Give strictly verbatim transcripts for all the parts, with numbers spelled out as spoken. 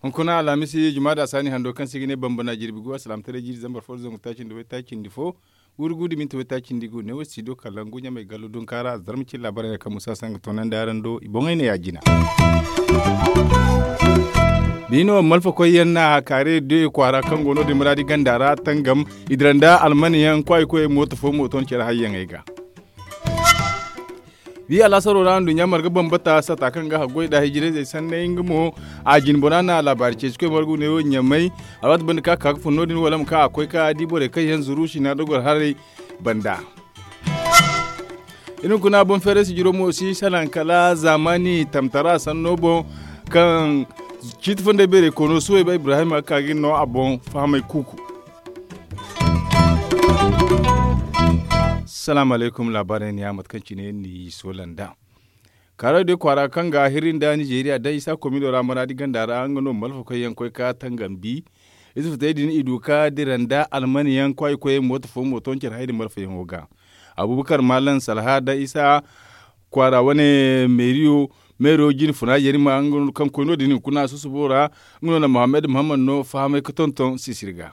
Hunkuna alhamisi jumaada saani hando kaŋ se i ga ne bambana jirbi gu alsilaamataray jiiri zambar fo da zangu taaci nda waytaaci nda fo, wurgu da minti waytaaci nda gu ne wo studio kalangu ɲamay gallo dunka ra zarma cine laabaarey no kaŋ musa sanga toonandi araŋ do i boŋey ne ya jina. Biino malfa koyyaŋ na kaare de kwaara kaŋ go no din muraadi ganda ra tangam i dira nda almaniyaŋ kwaay koyey mooto fo mooto nda care hayyaŋey ga. Wi alaasaro ra nduɲɲa marga bambata sata kaŋ ga haggoy da hijirayzey sanney nga mo a jinbora na laabaari ceeci koy margu ne wo ɲamay. Alwaati banda ka ka ga fun no- din wala ma ka a koy ka di borey kaŋ yaŋ zuru sina dogor haray banda. Iri hunkuna boŋ feeray sijiro mo si salaŋ kala zaamaani tamtara sanno boŋ kaŋ ciiti funday beeray koono suwayba ibrahim a ga ka ga iri no a boŋ fahamay kuuku. Salaamu alaykum laabaarey ne ya mate kaŋ cine ni soola nd'a. Kaaro day kwaara kaŋ ga hiri nda nizeeriya da isa komido ra maraadi ganda ra nga no malfakoy yaŋ koy ka tangambi. Ize futey din i du ka dira nda almani yaŋ kwaay koyey mooto fo mooto ncer hayri malfayaŋo ga. Abubakar malam salha da isa kwaara wane meeriyo meero jine funa yarima nga no kaŋ koy no- din hunkuna susubo ra. Nga no na muhammad muhammad no fahamay ga tonton sisiri ga.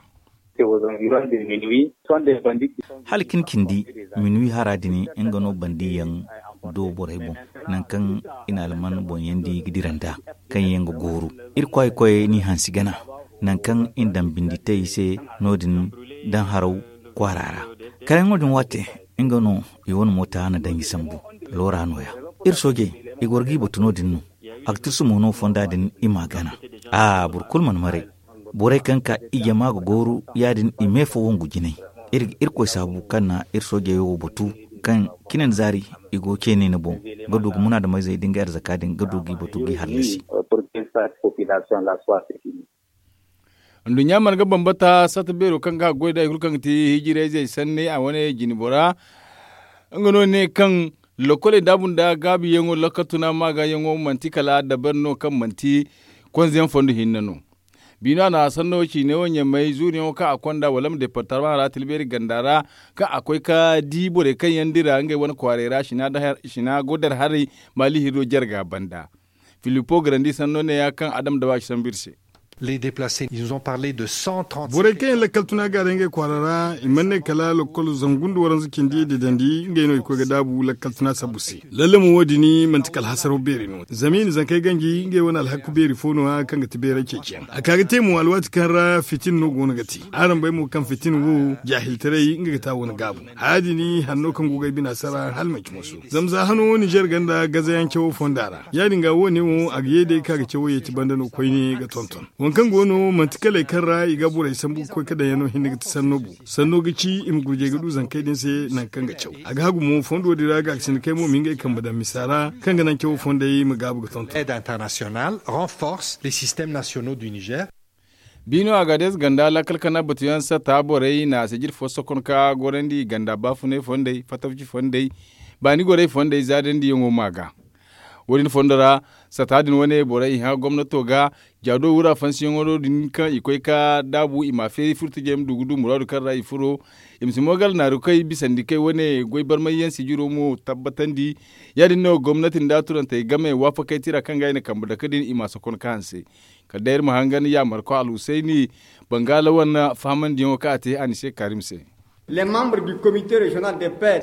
Hala cine cindi minuwi hara din nga no bandiyaŋ do borey boŋ, nangu kaŋ i na alman boŋ yandi ga dira nd'a kaŋ yaŋ ga gooru. Iri kwaay koy n'i hansi gana nangu kaŋ i na daŋ bindi te i se no- din daŋ haraw kwaara ra. Kala yaŋo din waate nga no i wane moota na daŋ i sambu. Loora no- ya iri soojey i goro g'i batu no- din no. A ga tirsu mo no fonda din i m'a gana. A boro kulu mana maray. Borey kaŋ ka i jama ga gooru ya- din i me fo wangu jinay. Iri ga irkoy saabu kaŋ na iri soojey wo batu kaŋ cine nda zaari i go ceene ni boŋ ga du ga munaadameyzey da ngey arzaka din ga du g'i batu g'i hallasi. Nduɲɲa mana ga bambata satta beero kaŋ ga a goy da hari kulu kaŋ ga te hijirayzey sanney a wane jine bora. Nga no ne kaŋ lokkoley daabu nda gaabiyaŋo lakkal tuna maagayaŋo manti kala dabari no kaŋ manti konzeyaŋ fondo hinne no. Biino a na sanno ciine wo ɲamay zuuriyaŋo kaŋ a konda wala ma departama ra tilbeeri ganda ra kaŋ a koy ka di borey kaŋ yaŋ dira ngey wane kwaaray ra sina godar haray maali hirro jarga banda. Filipo garandi sanno ne ya kaŋ adam dawa ci sambu iri se. Borey kaŋ yaŋ lakkal tuna gaaray ngey kwaara ra i mana ne kala lakkol zangu nda waranza cindi da dandi ngey no i koy ga daabu lakkal tuna sabbu se. Lalle mo wo- din manti kala hasaro beeri no zama i na zankey ganji ngey wane alhakku beeri fo no- ya kaŋ ga ti beeray ceeciyaŋ a ka ga te mo alwaati kaŋ ra fitin no go no ga te. Araŋ bay mo kaŋ fitin wo jaahiltaray nga ga te a wane gaabu. Haya din hanno kaŋ go ga ay bina sara hala manci moso zama za hano ninzeer ganda gazayaŋ cawo fonda ra. Ya- din ga wo- ne wo a ga ye day kaŋ a ga cawo yeeti banda no koyne ga tonton. Waŋ kaŋ go no manti kaley kaŋ ra i ga borey sambu ga koy ka daŋ yaŋ no hinne ga ti sanno bu. Sanno ga ci i ma gurjey ga du zankey din se nangu kaŋ ga caw a ga hagu mo fondo din ra ga a ga sinda kay mo ma ngey kambe daŋ misa ra kaŋ ga naŋ cawo fondey ma gaabu ga tonton. Biino a ga day ze ganda lakkal kana batuyaŋ sata borey na a se jiri fo sokon ka gorandi ganda baafunay fondey fatafci fondey baani gorey fondey zaadandi yaŋo ma ga. Wo- din fondo ra sata din wane borey i hã gomnato ga jaado wura fansiyaŋo no- din kaŋ i koy ka daabu i ma a feeri furtijey ma du ga du muraadu kaŋ ra i furo. I ma si mo gala naaru kay bisandi kay wane goy barmayyaŋ sijiro mo tabbatandi. Ya- din no gomnati nda turantey game waafakey tira kaŋ ga i na kambe dake din i ma a sokon ka hanse. Kala day iri ma hangan yaamarko alhusayni bangaala wane fahamandiyaŋo kaŋ a te a ni se kaarim se.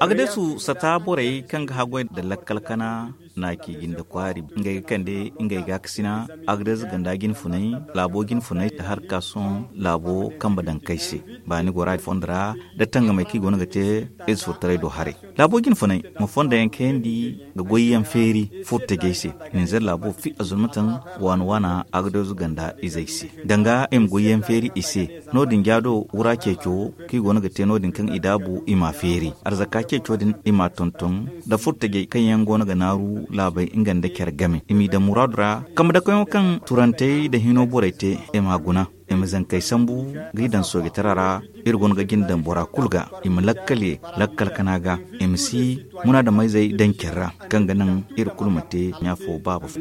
Agdesu sata borey kaŋ ga haggoy nda lakkal kana na ci jinde kwaari ngey ga kande ngey gaakasina. Agdesu ganda jinfunay laabo jinfunay nda harka sohõ laabo kambe daŋ kay se. Baani gora fondo ra nda tangamey kaŋ i go no ga te ize furtaray do haray. Laabo jinfunay ma fonda yaŋ kayandi ga goyyaŋ feeri furtajey se. Ninzeer laabo fi azulmataŋ waana waana agdeezu ganda izey se danga i ma goyyaŋ feeri i se. No- din jaado wura ceeco kaŋ i go no ga te no- din kaŋ i daabu i m'a feeri arzaka ceeco din i m'a tonton nda furtajey kaŋ yaŋ go no ga naaru laabey nga nda care game i m'i daŋ muraadu ra. Kambe dakoyaŋo kaŋ turantey nda hino borey te i m'a guna i ma zankey sambu g'i daŋ soojitara ra. Iri go no ga jina daŋ bora kulu ga i ma lakkal ye lakkal kana ga i ma si munaadameyzey daŋ care ra kaŋ ga naŋ iri kulu ma te ɲaafo baaba fo.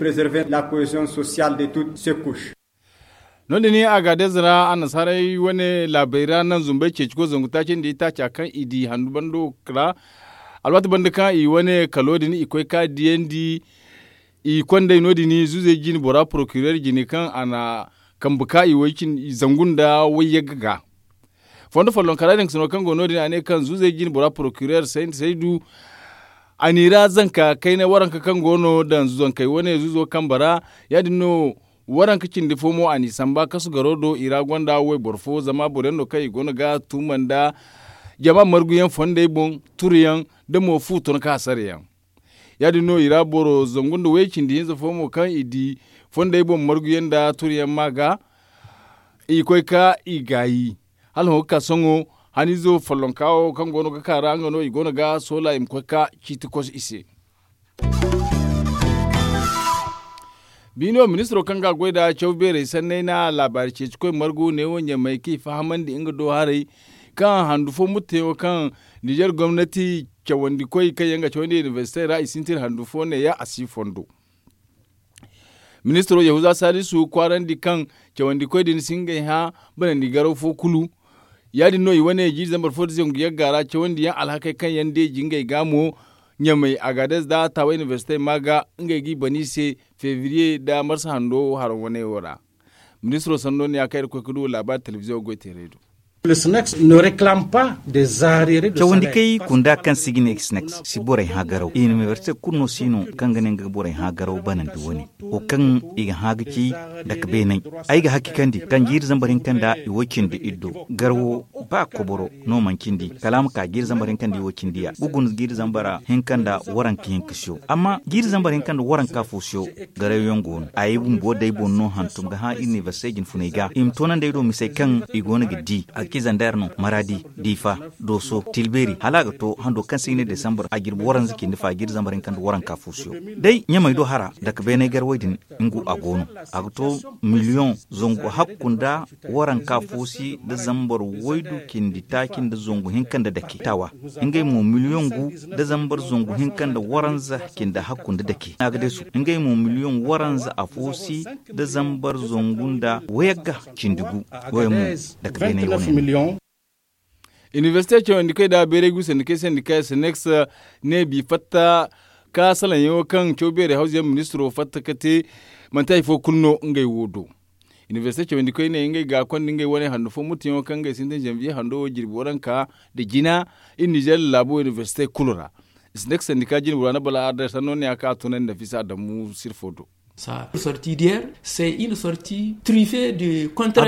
No- din a ga deeza ra annasaarey wane laabey ra naŋ zumbey ceeci koy zangu taaci nda itaaca kaŋ i di handu bando ra. Alwaati banda kaŋ i wane kalo din i koy ka diyandi i kondey no- din zuuzey jine bora porokireer jine kaŋ a na kambe ka i way cindi zangu nda wayyagga ga. Fondo follonkara din ka sino kaŋ go no- din a ne kaŋ zuuzey jine bora porokireer saydu a n'i ra zanka kayna waranka kaŋ go no daŋ zankey wane zuuzo kambe ra. Ya- din no waranka cindi fo mo a n'i samba kasu garo do i ra gonda wayboro fo zama boro yaŋ no kaŋ i go no ga tuuma nda jama margu yaŋ fondey boŋ turu yaŋ da mo fu ton ka hasara yaŋ. Ya- din no i ra boro zangu nda way cindi hinza fo mo kaŋ i di fondey boŋ margu yaŋ nda turu yaŋ ma ga i koy ka i gaayi hala hõ ga ka sohõ. Haniizo follonka wo kaŋ go no ga ka ra nga no i go no ga soola i ma koy ka ciiti koso i se. Biino ministiro kaŋ ga a goy nda caw beerey sanney na laabaari ceeci koy margu neewo ɲamey kaŋ i fahamandi nga do haray kaŋ handu fo mutteyaŋo kaŋ nizer gomnati cawandi koy kaŋ yaŋ ga cawandi inibersite ra i sintin handu fo neeya a si fondo. Ministiro yahuza salisu kwaarandi kaŋ cawandi koy din si ngey hã banandi garaw fo kulu. Ya- din no i wane jiiri zambar fo nda zangu yagga ra cawandi yaŋ alhakey kaŋ yaŋ deeji ngey ga mo ɲamey agaadez nda taawa inibersite ma ga ngey g'i bana i se febriye nda marsa hando haro wane wo ra. Ministiro sanno ne ya kaŋ iri ga koy ga du laabaari telebiziyoŋ goy teerey do. Cawandi kay kunda kaŋ se i ga ne sneks si borey hã garaw inibersite kulu no si no kaŋ ga ne nga ga borey hã garaw banandi wane wo kaŋ i ga hã ga ci dake beeney. Ay ga hakikandi kaŋ jiiri zambar hinka nda i wo cindi iddo garawo ba koboro no manci ndi kala a ma ka jiiri zambar hinka nda i wo cindi ya ga guna jiiri zambar hinka nda waranka hinka siyo amma jiiri zambar hinka nda waranka fo siyo. Garayo yaŋ go no ay bumbo day boŋ no hantum ga hã inibersite jinfuney ga i ma toonandi ay do misey kaŋ i go no ga di alkizandar no maradi diifa dooso tilbeeri hala a ga to hando kaŋ se i ne desambar a jirbi waranza cindi fa jiiri zambar hinka nda waranka fo siyo. Day ɲamey do hara dake beeney garwey din nga a go no a ga to miliyoŋ zangu hakku nda waranka fo si nda zambar waydu cindi taaci nda zangu hinka nda dake taawa ngey mo miliyoŋ gu nda zambar zangu hinka nda waranza cindi hakku nda dake a ga deesu ngey mo miliyoŋ waranza afo si nda zambar zangu nda wayagga cindi gu. Wayey mo dake beeney wane no. Inibersite cawandi kay da beeray gu sandikay sandikay sneks ne bi fatta ka salaŋyaŋo kaŋ caw beeray hawzayaŋ ministiro fatta ka te manti hari fo kulu no ngey wo do. Inibersite cawandi koy ne ngey ga konda ngey wane handu fo muttuyaŋo kaŋ ngey sintin zanbiye hando wo jirbi waranka nda jina iri nizer laabo inibersite kulu ra. Sneks sandika jinbura nda bala arder sanno ne ya kaŋ a tunandi nafisa adamu sirfo do. A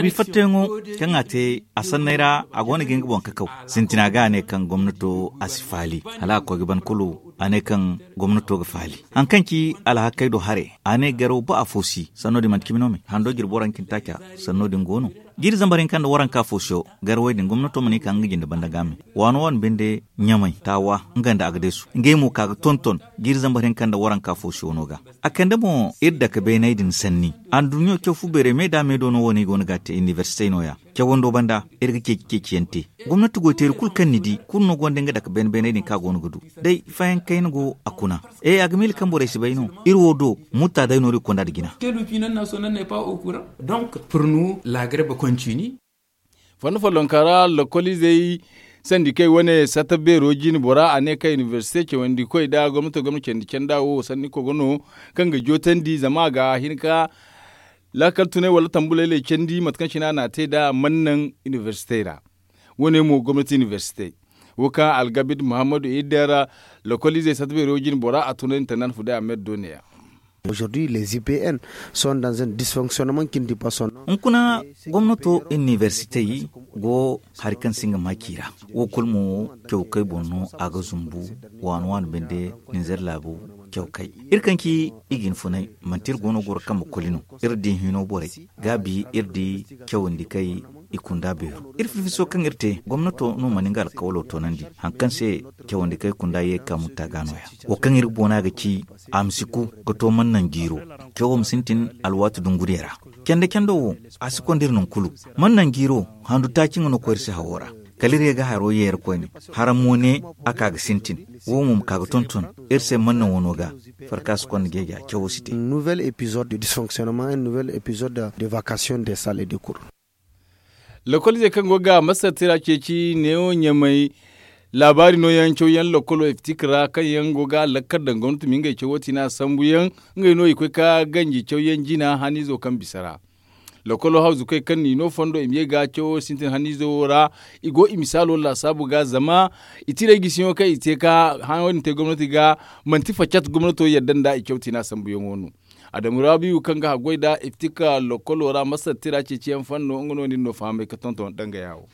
bi fattayaŋo kaŋ a te a sanney ra a go no ga nga boŋ kakaw sintina ga a ne kaŋ gomnato a si faali hala a koy ga ban kulu a ne kaŋ gomnato ga faali. Hari kaŋ ci alhakey do haray a ne garaw ba afo si sanno din manti cimi no me hando jirbi waranka nda taaca. Sanno din go no jiiri zambar hinka nda waranka fo siyo garawey din gomnato mana i ka nga jinde banda ga me waano waano binde ɲamey taawa nga nda agadeesu ngey mo ka ga tonton jiiri zambar hinka nda waranka fo siyo no ga. A kande mo iri dake beeney din sanni anduɲɲo caw fu beerey me da me do no wo no i go no ga a te inibersitey no- ya. Cawando banda iri ga ceeci ceeciyaŋ te gomnati goyteeri kulu kaŋ ni di kulu no gonda nga dake beene beeney din kaŋ a go no ga du day fayaŋ kayna go a kuna. E a ga miila kaŋ borey si bay no iri wo do mutta day no iri ga konda nda jina. Fondo follonka ra lokoliizey sandikey wane satta beero jine bora a ne kaŋ inibersite cawandi koy nda gomnato gomna candi canda wo sanni kogo no kaŋ ga jootandi zama a ga hin ka laakal tunay wala tambuley lay candi mate kaŋ cine a n'a te nd'a mana naŋ inibersitey ra. Wo- ne mo gomnati inibersitey wo kaŋ algabid muhammadu idder lokoliizey satta beero jine bora a tunay nda tanda na fuday a me da doone ya. Hunkuna gomnato inibersitey go hari kaŋ si nga maaci ra wo kulu mo cawkey boŋ no a ga zumbu waani waani binde ninzeer laabu cawkey. Iri kaŋ ci i ga hin funay manti iri go no goro kambe koli no iri di hino borey gaabi iri di cawandi kay i kunda beero iri fifiso kaŋ iri te gomnato no mana nga alkawalo toonandi hari kaŋ se cawandi kay kunda ye ga ka mutta ga no- ya wo kaŋ iri ga boona ga ci a ma si ku ga to mana naŋ jiiro cawo ma sintin alwaati dunguriya ra. Canda cando wo a si konda iri naŋ kulu mana naŋ jiiro handu taaci nga no koy iri se hawo ra. kala iri ye ga haro yeera koyne. Hara mo ne a ka ga sintin. Wo mo ma ka ga tonton iri se manna wano ga. Farka si konda geeja cawo si te. Nouvel épisode de dysfonctionnement, un nouvel épisode de vacation des salles et de cours. Lokol izey kaŋ go ga masar tira ceeci neewo ɲamay laabaari nooyaŋ cawyaŋ lokolo iftik ra kaŋ yaŋ go ga lakkar daŋ gomnati ma ngey cawo tiina sambuyaŋ. Ngey no i koy ka ganji cawyaŋ jina haniizo kaŋ bisa ra. Lokolo hawzukey kaŋ n'i no fondo i ma ye ga cawo sintin haniizo wo ra. I go i misaalo laasaabu ga zama i tirey gisiyaŋo kaŋ i te ka hã wo- din te gomnati ga manti facat gomnato yadda nda i caw tiina sambuyaŋo no. Adamu rabiyu kaŋ ga haggoy nda iftika lokolo ra masar tira ceeciyaŋ fanno nga no nin no fahamay ka tonton dangaya wo.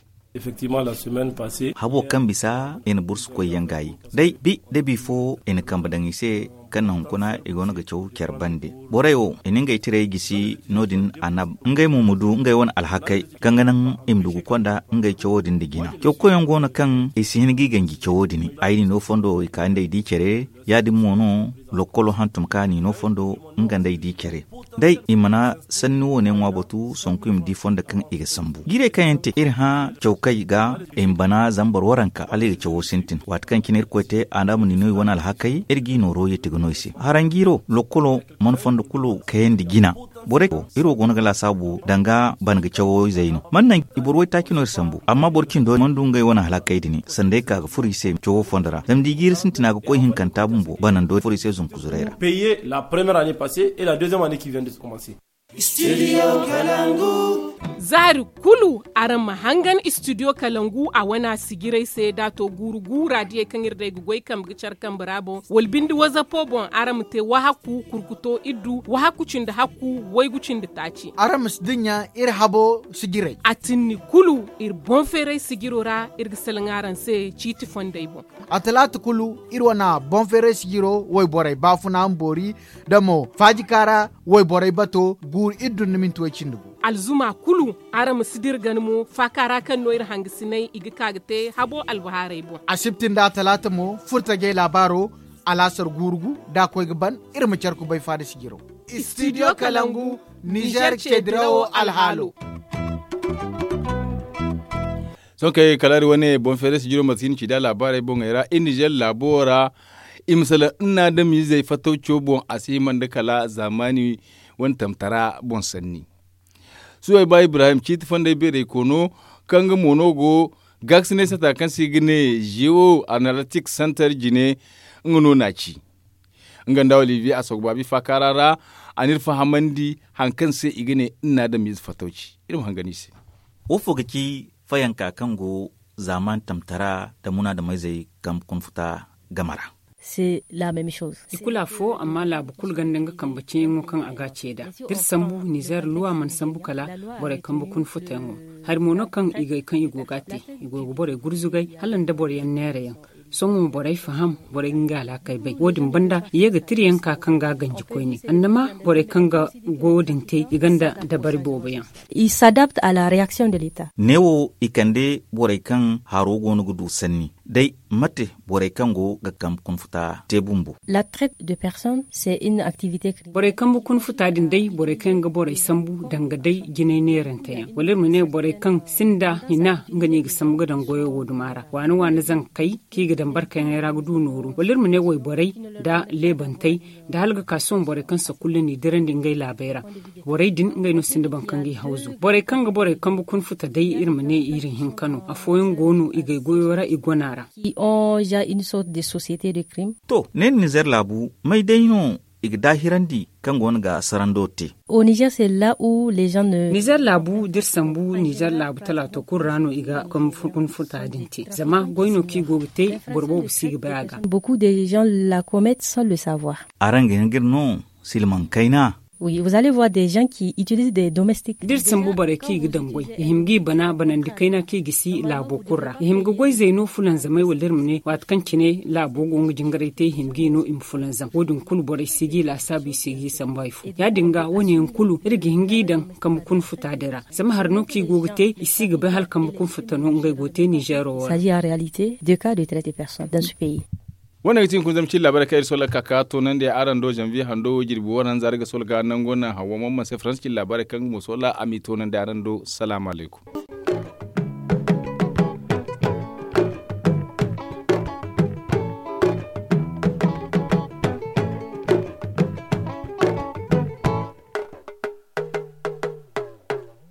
Habo kaŋ bisa i na bursu koyyaŋ gaayi day bi da bifo i na kambe daŋ i se. Kaŋ na hunkuna i go no ga caw care bande borey wo i na ngey tirey gisi no- din anab ngey mo ma du ngey wane alhakey kaŋ ga naŋ i ma du ga konda ngey cawo din nda jina caw koyyaŋ go no kaŋ i si hin ga i ganji cawo din. Ay n'i no fondo i ka nda ay di care ya- din mo no lokolo hantum ka n'i no fondo nga nda ay di care. Day i mana sanni wo- ne ŋwa batu sanku i ma di fondo kaŋ i ga sambu jiirey kaŋ yaŋ te iri hã cawkey ga i ma bana zama boro waranka hala i ga cawo sintin waati kaŋ cine irkoy te a na a ma n'i no i wane alhakey iri g'i nooro yeeti ga no i se haranjiiro lokolo mana fondo kulu kayandi jina. Borey iri wo go no ga laasaabu danga bana ga cawo izey no mana naŋ i boro waytaaci no iri sambu amma boro cindo mana du ngey wane alhakey din sanda ay ka ga furo i se cawo fondo ra zama da i jiiri sintina ga koy hinkanta bumbo banando furo i se zunku zuray ra. Za hari kulu araŋ ma hangan istidiyo kalangu a wana sijirey se da a to guuru guura diyey kaŋ iri day ga goy kambe ga care kambe ra boŋ wala binde wazapo boŋ araŋ ma te wahakku kurkuto iddu wahakku cindi hakku waygu cindi taaci. Araŋ ma si dinya iri habo sijirey a tinni kulu iri boŋ feeray sijiro ra iri ga salaŋ araŋ se ciiti fondey boŋ. A talaata kulu iri wane boŋ feeray sijiro wayborey baafuna ma boori da mo faajika ra wayborey bato guuru iri dunna minti way cindi gu. Alzuma kulu araŋ ma si dira gana mo faaka ra kaŋ no iri hangasinay i ga ka ga te habo albahaarey boŋ. Asibti nda talaata mo furtajey laabaaro alaasar guuru gu da a koy ga ban iri ma care kubay faada sijiro. Istidiyo kalangu nizer ceedirawo alhaalo. Sohõ kay kala iri wane boŋ feere sijiro mate kaŋ i na ci da laabaarey boŋey ra iri nizer laabo ra i ma salaŋ nna adamizey fattawco boŋ a si hima nda kala zaamaani wane tamtara boŋ sanni. Suwayba ibrahim ciiti fonday beeray koono kaŋ nga mo no go gaakasinay sata kaŋ se i ga ne geo analytic center jine. Nga no n'a ci nga nda olivier a soogu baabi faakaara ra a n'iri fahamandi hari kaŋ se i ga ne nna adamize fatawci. Iri ma hangan i se. Wo fo ga ci fayanka kaŋ go zaaman tamtara nda munaadameyzey kambe kuna futa game ra. I kulu afo amma laabu kulu gonda nga kambe ceeyaŋo kaŋ a ga a ce nd'a da iri sambu nizer luwa mana sambu kala borey kambe kuna futayaŋo. Hari mo no kaŋ i go ga a te i go ga borey gurzugay hala nda boro yaŋ neera yaŋ. Sohõ borey faham borey ga nga alhakey bay wo- din banda i ye ga tira yaŋ ka kaŋ ga a ganji koyne annama borey kaŋ ga goyo din te i gonda dabari boobo yaŋ. I s'adapte à la réaction de l'état. Neewo i kande borey kaŋ haro go no ga du sanni day mate borey kaŋ go ga kambe kuna futa te bumbo. La traite de personne c'est une activité criminelle. Borey kambe kuna futa din day borey kaŋ yaŋ ga borey sambu danga day jinay neerante yaŋ wala iri ma ne borey kaŋ sinda hina nga no i ga sambu ga daŋ goyo wo duma ra waana waana zankey kaŋ i ga daŋ barkayaŋey ra ga du nooru wala iri ma ne wayborey nda leebantey nda hala ga ka sohõ borey kaŋ sakulla n'i dirandi ngey laabey ra. Borey din ngey no sinda boro kaŋ g'i hawzu borey kaŋ ga borey kambe kuna futa day iri ma ne iri hinka no afooyaŋ go no i gay goyo ra i gona ra. Ils ont déjà une sorte de société de crime. To ne nizer laabu may day no i ga daahirandi kaŋ go no ga sarando te. Au niger c'est là où les gens ne. Nizer laabu da iri sambu nizer laabu talaato kulu ra no i ga kambe kuna futa din te zama goy no kaŋ i go ga te boro boobo si ga bay a ga. Beaucoup de gens la commettent sans le savoir. Araŋ ga hin ga iri no silmaŋ kayna. Oui vous allez voir des gens qui utilisent des domestiques. Da iri sambu borey kaŋ i ga daŋ goy i hima g'i bana banandi kayna kaŋ i ga si laabo kulu ra i hima ga goyzey no fulanzamey wala iri ma ne waati kaŋ cine laabo go nga jingaray te i hima g'i no i ma fulanzam wo- din kulu borey si g'i laasaabu i si g'i sambu hari fo ya- din ga wo- ne yaŋ kulu iri ga hin g'i daŋ kambe kuna futa din ra zama hari no kaŋ i go ga te i si ga bay hala kambe kuna futa no ngey go ga te nizeero wo ra. Wane ga ti hunkuna zama cin laabaarey kaŋ iri sohõ lakkal ka toonandi araŋ do zanviye hando wo jirbi waranza ra ga sohõ ga nango naŋ hawa mamman se faransa cin laabaarey kaŋ nga mo sohõ a m'i toonandi araŋ do salaamu alaykum.